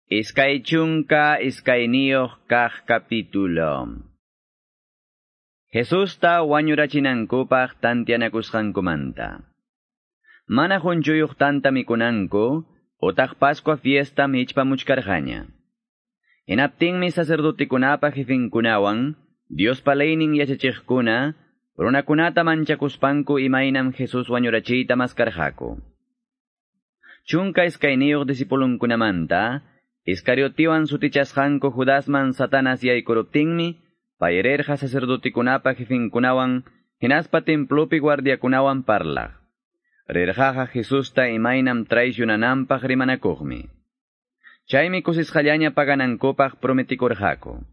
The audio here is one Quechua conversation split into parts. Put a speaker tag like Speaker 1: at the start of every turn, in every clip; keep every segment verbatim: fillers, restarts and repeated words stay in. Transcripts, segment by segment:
Speaker 1: Iskay chunka iskayniyuq kaq capítulo. Jesusta wañurachinankupaq tantianakusqankumanta. Mana qunchuyuq tanta mikunanku, utaq Pascua fiesta michpamuchkarqaña. Hinaptinmi sacerdotekunapa jefinkunawan, Diospa leynin yachachiqkuna, runakunata manchakuspanku imaynam Jesus wañurachiyta maskarqaku. Chunka iskayniyuq discipulunkunamanta, Iscariotiwan sutichasqanku Judasman Satanas yaykuruptinmi, payrirqa sacerdotekunapa jefinkunawan, hinaspa templopi guardiakunawan parlaq. Rirqaqa Jesusta imaynam traicionananpaq rimanakuqmi. Chaymi kusisqallaña paganankupaq prometikurqaku.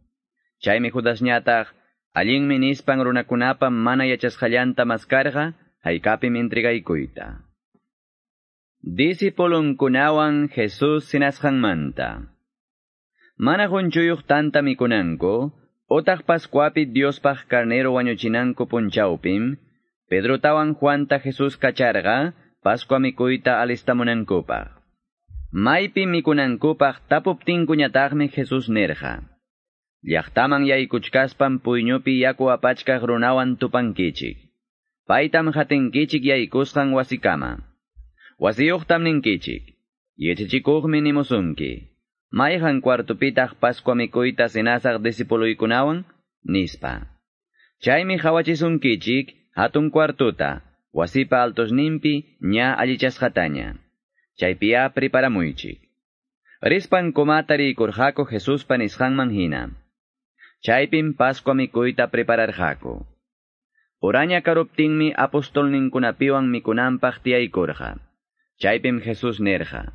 Speaker 1: Chaymi Judasñataq, allinmi nispan runakunapa mana yachasqallanta maskarqa, haykapim entregaykuyta. Discipulunkunawan Jesus sinasqanmanta. Mana qunchuyuq tanta mikunanku, utaq Pascuapi Diospaq carnero wañuchinanku punchawpim, Pedrotawan Juanta Jesus kacharqa, Pascua mikuyta alistamunankupaq. Maypi mikunankupaq tapuptinkuñataqmi Jesus nirqa. Llaqtaman yaykuchkaspan puyñupi yaku apachkaq runawan tupankichik. Paytam hatinkichik yaykusqan wasikama. Wasiyuqtam ninkichik. Yachachikuqmi nimusunki. Mayqan cuartupitaq Pascua mikuyta cenasaq discipuluykunawan? Nispa. Chaymi hawachisunkichik hatun cuartuta, wasipa altosninpi ña allichasqataña. Chaypiya preparamuychik. Rispan kumata rikurqaku Jesuspa nisqanman hina. Chaypim Pascua mikuyta prepararqaku. Uraña karuptinmi apostolninkunapiwan mikunanpaq tiyaykurqa. Chaypim Jesus nirqa.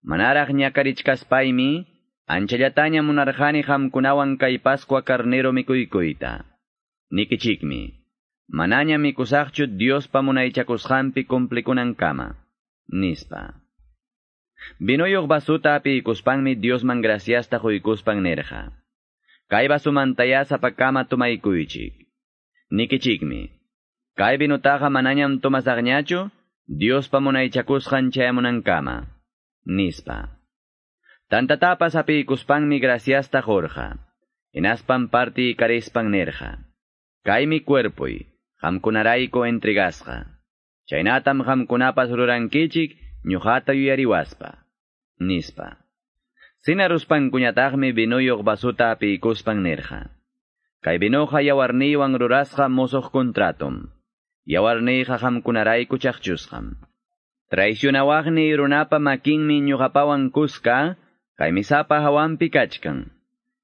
Speaker 1: Manaraq ñakarichkaspaymi, anchallataña munarqani qamkunawan kay Pascua carnero mikuykuyta. Nikichikmi, manaña mikusaqchu Diospa munaychakusqanpi cumplikunankama, nispa. Vinuyuq vasuta apiykuspanmi Diosman graciasta quykuspan nirqa. Kay vasumantaya sapakama tomaykuychik. Nikichikmi, kay vinutaqa manañam tomasaqñachu, Diospa munaychakusqan chayamunankama, nispa. Tantatapas apiykuspanmi graciasta qurqa. Hinaspan parti karispan nirqa. Kaymi cuerpoy, qamkunarayku entregasqa. Chaynatam qamkunapas rurankichik ñuqata yuyariwaspa, nispa. Sinaruspankuñataqmi vinuyuq vasuta apiykuspan nirqa. Kay vinoqa yawarniywan rurasqa musuq contratum. Yawarniyqa qamkunarayku chaqchusqam. Traicionawaqni runapa makinmi ñuqapawan kuska, kay misapa hawanpi kachkan.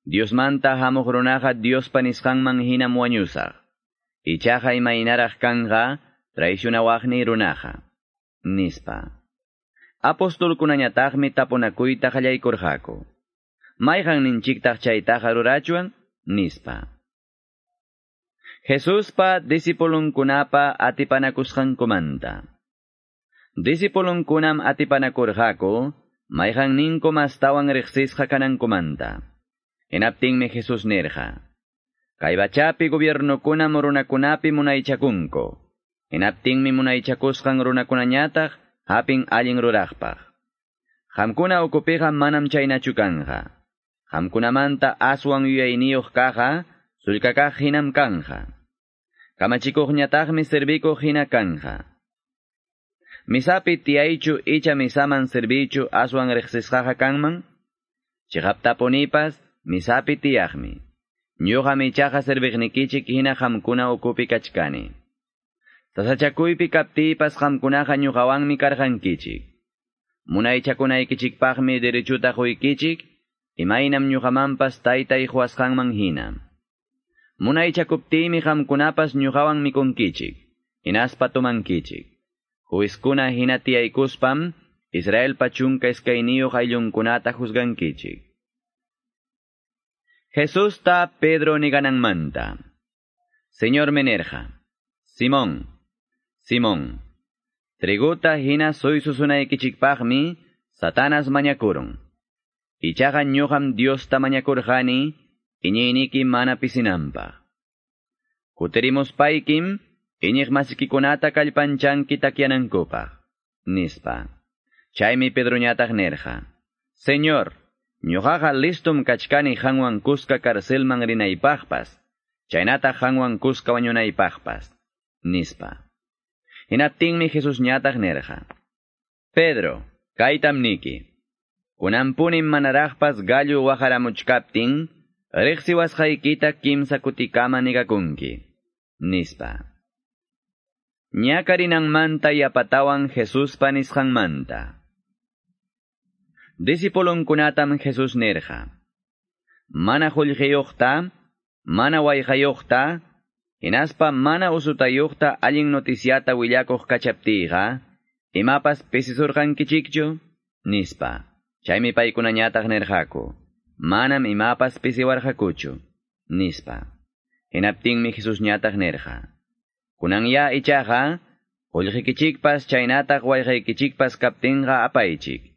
Speaker 1: Diosmanta hamuq runaqa Diospa nisqanman hinam wañusaq. Ichaqa imaynaraq kanqa traicionawaqni runaqa, nispa. Apostolkunañataqmi tapunakuyta qallaykurqaku. Mayqanninchiktaq chaytaqa rurachwan, nispa. Jesuspa discipulunkunapa atipanakusqankumanta. Discipulunkunam atipanakurqaku, mayqanninku mastawan riqsisqa kanankumanta. Hinaptinmi Jesus nirqa. Kay pachapi gobiernokunam runakunapi munaychakunku. Hinaptinmi munaychakusqan runakunañataq hapin allin ruraqpaq. Qamkuna ukupiqa manam chaynachu kanqa. Qamkunamanta aswan yuyayniyuq kaqqa, sullkakaq hinam kanja. Kamachikuqñataqmi servikuq hina kanja. Misapi tiyaychu icha misaman servichu aswan riqsisqaqa kanman? Chiqaptapunipas misapi tiyaqmi. Ñuqam ichaqa serviqnikichik hina qamkuna ukupi kachkani. Sasachakuypi kaptiypas qamkunaqa ñuqawanmi karqankichik. Munaychakunaykichikpaqmi derechuta quykichik, imaynam ñuqamanpas taytay quwasqanman hina. Munaychakuptiymi qamkunapas ñuqawan mikunkichik, hinaspa tomankichik. Juizkuna hina tiyaykuspam, Israelpa chunka iskayniyuq ayllunkunata juzgankichik. Jesusta Pedro nigananmanta. Señor me nirqa, Simón, Simón, triguta hina suysusunaykichikpaqmi Satanas mañakurun. Ichaqa ñuqam Diosta mañakurqani, iñiyniki mana pisinanpaq. Kutirimuspaykim, iñiq masikikunata kallpanchanki takyanankupaq, nispa. Chaymi Pedroñataq nirqa. Señor, Ñuqaqa listum kachkani qanwan kuska carcelman rinaypaqpas, chaynataq qanwan kuska wañunaypaqpas, nispa. Hinaptinmi Jesusñataq nirqa: Pedro, kaytam niki. Kunanpunim manaraqpas gallo waqaramuchkaptin, riqsiwasqaykita kimsa kutikama negakunki, nispa. Ñakarinanmanta yapatawan Jesuspa nisqanmanta. Discipulunkunatam Jesús nirqa: Mana qullqiyuqta, mana wayqayuqta, hinaspa mana usutayuqta allin noticiata willakuq kachaptiyqa, imapas pisisurqankichikchu, nispa. Chaymi paykunañataq nirqaku: Manam imapas pisiwarqakuchu, nispa. Hinaptinmi Jesusñataq nirqa: Kunanya ichaqa, qullqikichikpas chaynataq wayqaykichikpas kaptinqa apaychik.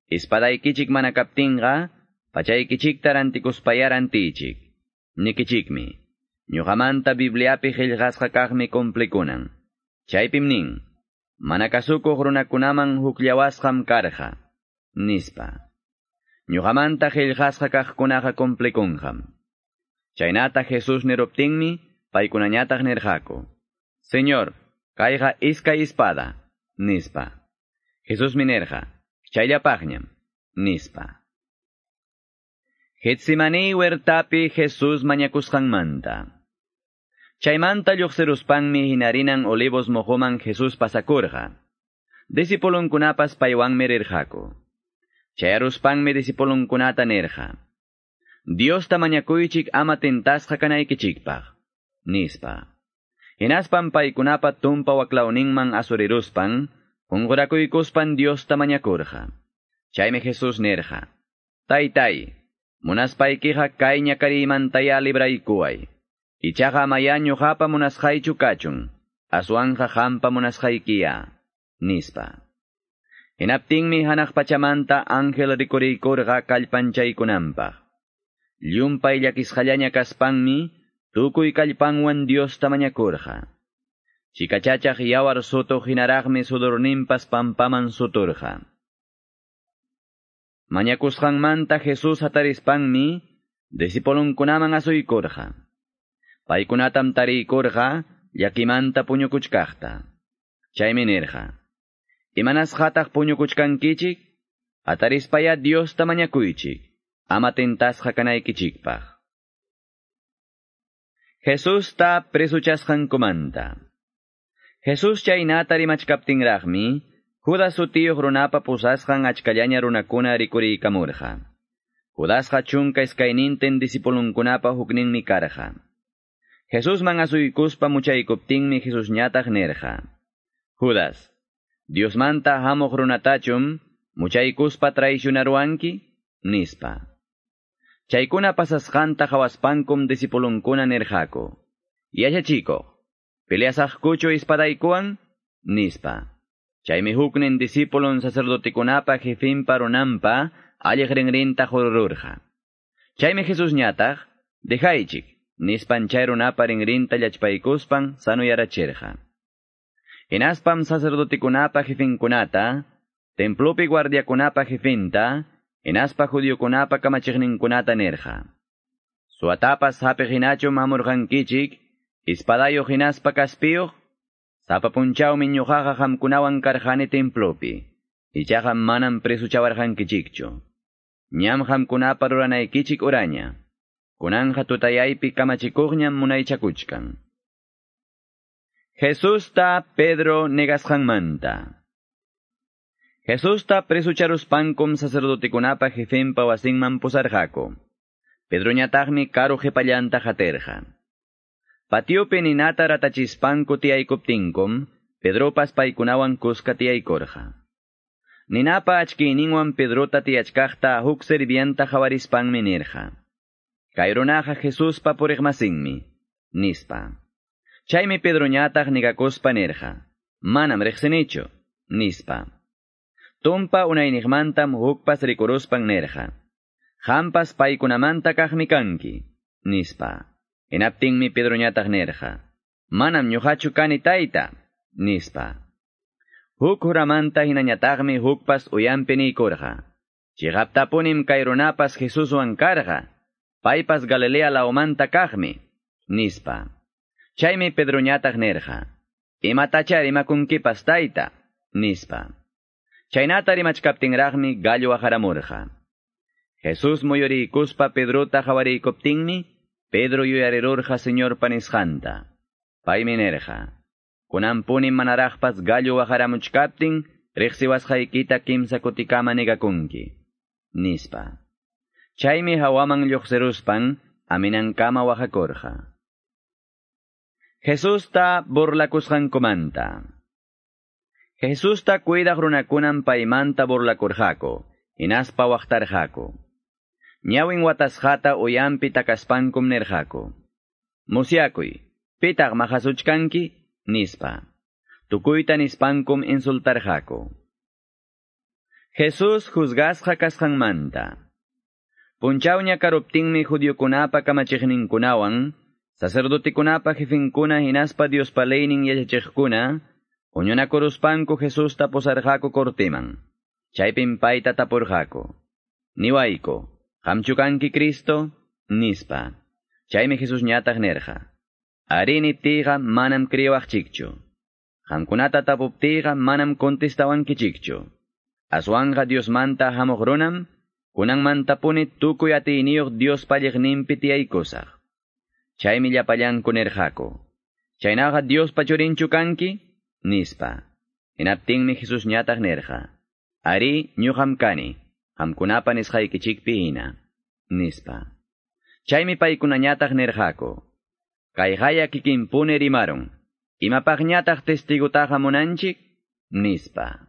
Speaker 1: Espadaykichik mana kaptinqa, pachaykichikta rantikuspaya rantichik. Nikichikmi, ñuqamanta Bibliapi qillqasqa kaqmi cumplikunan. Chaypim nin, mana kasukuq runakunaman hukllawasqam karqa, nispa. Ñuqamanta qillqasqa kaqkunaqa cumplikunqam. Chaynata Jesús niruptinmi, paykunañataq nirqaku: Señor, kayqa iskay espada, nispa. Jesusmi nirqa: Chayllapaqñam, nispa. Getsemani huertapi Jesús mañakusqanmanta. Chaymanta lluqsiruspanmi hinarinan Olivos moqoman Jesús pasakurqa. Discipulunkunapas paywanmi rirqaku. Chayaruspanmi discipulunkunata nirqa: Diosta mañakuychik ama tentasqa kanaykichikpaq, nispa. Hinaspan paykunapa tumpa waklawninman asuriruspan, qunqurakuykuspan Diosta mañakurqa. Chaymi Jesús nirqa: Taytay, munaspaykiqa kay ñakariymantaya libraykuway. Ichaqa amaya ñuqapa munasqaychu kachun, aswanqa qampa munasqaykiya, nispa. Hinaptinmi hanaq pachamanta ángel rikuriykurqa kallpanchaykunanpaq. Llumpay llakisqallaña kaspanmi, tukuy kallpanwan Diosta mañakurqa. Chikachachaq yawar sutuq hinaraqmi sudurninpas pampaman suturqa. Mañakusqanmanta Jesús hatarispanmi, discipulunkunaman asuykurqa. Paykunatam tariykurqa llakimanta puñukuchkaqta. Chaymi nirqa: Imanasqataq puñukuchkankichik? Hatarispaya Diosta mañakuychik, ama tentasqa kanaykichikpaq. Jesusta presuchasqankumanta. Jesús chaynata rimachkaptinraqmi, Judas sutiyuq runapa pusasqan achkallaña runakuna rikuriykamurqa. Judasqa chunka iskaynintin discipulunkunapa hukninmi karqa. Jesusman asuykuspa muchaykuptinmi Jesusñataq nirqa: Judas, Diosmanta hamuq runatachum muchaykuspa traicionaruanki, nispa. Chaykuna pasasqanta qhawaspankum discipulunkuna nirqaku: Yachachikuq, peleasaqkuchu espadaykuwan, nispa. Chaymi huknin discipulun sacerdotekunapa jefinpa runanpa alliq rinrinta qurururqa. Chaymi Jesusñataq, dejaychik, nispan chay runapa rinrinta llachpaykuspan sanuyarachirqa. Hinaspam sacerdotekunapa jefinkunata, templopi guardiakunapa jefinta, hinaspa judiokunapa kamachiqninkunata nirqa: Suwatapas hapiq hinachum hamurqankichik, espadayuq hinaspa kaspiyuq, sapa punchawmi ñuqaqa qamkunawan karqani templopi, ichaqa manam presuchawarqankichikchu. Ñam qamkunapa ruranaykichik uraña. Kunanqa tutayaypi kamachikuqñam munaychakuchkan. Jesusta Pedro negasqanmanta. Jesusta presucharuspankum sacerdotekunapa jefinpa wasinman pusarqaku. Pedroñataqmi karu qhipallanta qatirqa. Patiopi ninata ratachispanku tiyaykuptinkum, Pedropas paykunawan kuska tiyaykurqa. Ninapa achkiyninwan Pedrota tiyachkaqta huk sirvienta qawarispanmi nirqa: Kay runaqa Jesuspa puriqmasinmi, nispa. Chaymi Pedroñataq negakuspa nirqa: Manam riqsinichu, nispa. Tumpa unayniqmantam hukpas rikuruspan nirqa: Qampas paykunamanta kaqmi kanki, nispa. Hinaptinmi Pedroñataq nirqa: Manam ñuqachu kani tayta, nispa. Huk huramanta hinañataqmi hukpas uyampi niykurqa: Chiqaptapunim kay runapas Jesuswan karqa, paypas Galilea lawmanta kaqmi, nispa. Chaymi Pedroñataq nirqa, Imatacha rimakunkipas tayta, nispa. Chaynata rimachkaptinraqmi gallo waqaramurqa. Jesús muyuriykuspa Pedrota qhawarikuptinmi, Pedro yuyarirurqa Señorpa nisqanta. Paymi nirqa, Kunanpunim manaraqpas gallo waqaramuchkaptin, riqsiwasqaykita kimsa kutikama negakunki, nispa. Chaymi hawaman lluqsiruspan, aminankama waqakurqa. Jesusta burlakusqankumanta. Jesusta cuidaq runakunam paymanta burlakurqaku, hinaspa waqtarqaku. Ñawin watasqata uyampi takaspankum nirqaku. Musyakuy, pitaq maqasuchkanki, nispa. Tukuyta nispankum insultarqaku. Jesús juzgasqa kasqanmanta. Punchawña karuptinmi judiokunapa kamachiqninkunawan, sacerdotekunapa jefinkuna hinaspa Diospa leynin yachachiqkuna, huñunakuruspanku Jesusta pusarqaku cortiman. Chaypim payta tapurqaku. Niwayku, qamchu kanki Cristo, nispa. Chaymi Jesús ñataq nirqa. Arí niptiyqa manam creewaqchikchu. Qamkunata tapuptiyqa manam contestawankichikchu. Aswanqa Diosmanta hamuq runam, kunanmantapuni tukuy atiyniyuq Diospa alliqninpi tiyaykusaq. Chaymi llapallanku nirqaku. Chaynaqa Diospa churinchu kanki, nispa. Hinaptinmi Jesús ñataq nirqa. Arí ñuqam kani, qamkunapa nisqaykichikpi hina, nispa. Chaymi paykunañataq nirqaku. Kayqaya kikinpuni rimarun. Imapaqñataq testigutaqa munanchik, nispa.